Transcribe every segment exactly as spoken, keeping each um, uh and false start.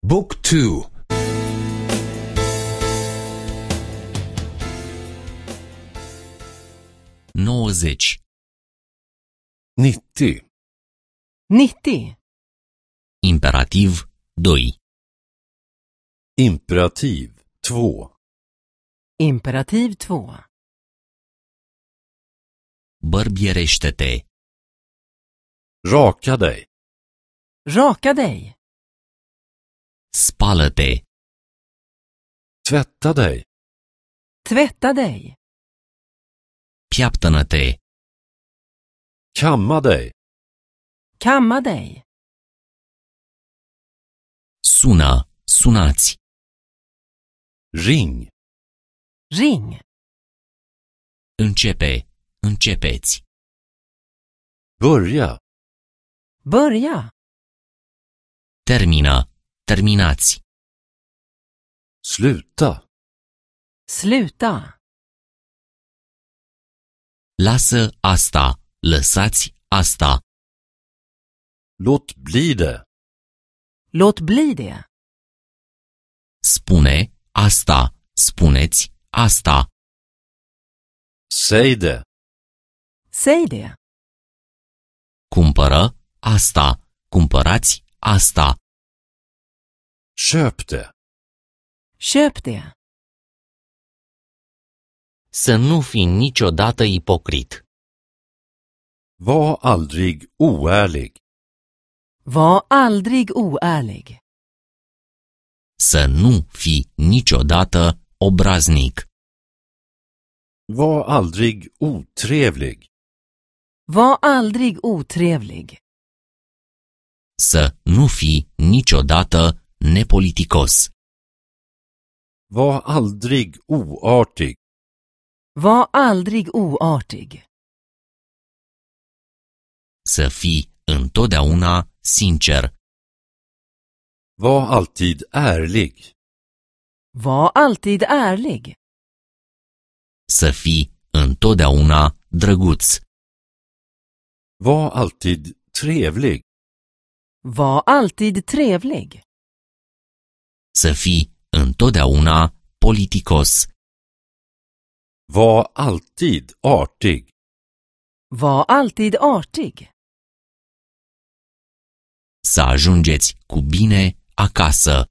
Book two. nouăzeci. nittio. nittio. Imperativ doi. Imperativ två. Imperativ två. Bărbierește-te. Raka dig. Raka dig. Spală-te. Tvätta dig. Tvätta dig. Piaptănă-te. Kamma dig. Kamma dig. Sună, sunați. Ring. Ring. Începe, începeți. Börja. Börja. Termină, terminați. Sluta. Sluta. Lasă asta, lăsați asta. Låt bli det. Låt bli det. Spune asta, spuneți asta. Säg det. Säg det. Cumpără asta, cumpărați asta. Köp det. Köp det. Să nu fii niciodată ipocrit. Var aldrig oärlig. Var aldrig oärlig. Să nu fii niciodată obraznic. Var aldrig otrevlig. Var aldrig otrevlig. Să nu fii niciodată nepoliticos. Var aldrig oartig. Var aldrig oartig. Să fii întotdeauna sincer. Var alltid ärlig. Var alltid ärlig. Să fii întotdeauna drăguț. Var alltid trevlig. Var alltid trevlig. Să fii întotdeauna politicos. Var alltid artig. Var alltid artig. Să ajungeți cu bine acasă.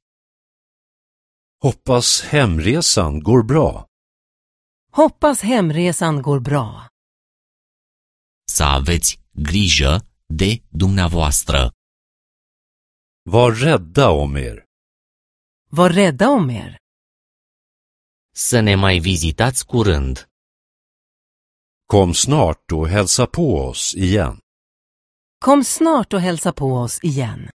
Hoppas hemresan går bra. Hoppas hemresan går bra. Să aveți grijă de dumneavoastră. Var rädda om er. Var rädda om er. Să ne mai vizitați curând. Kom snart och hälsa på oss igen. Kom snart och hälsa på oss igen.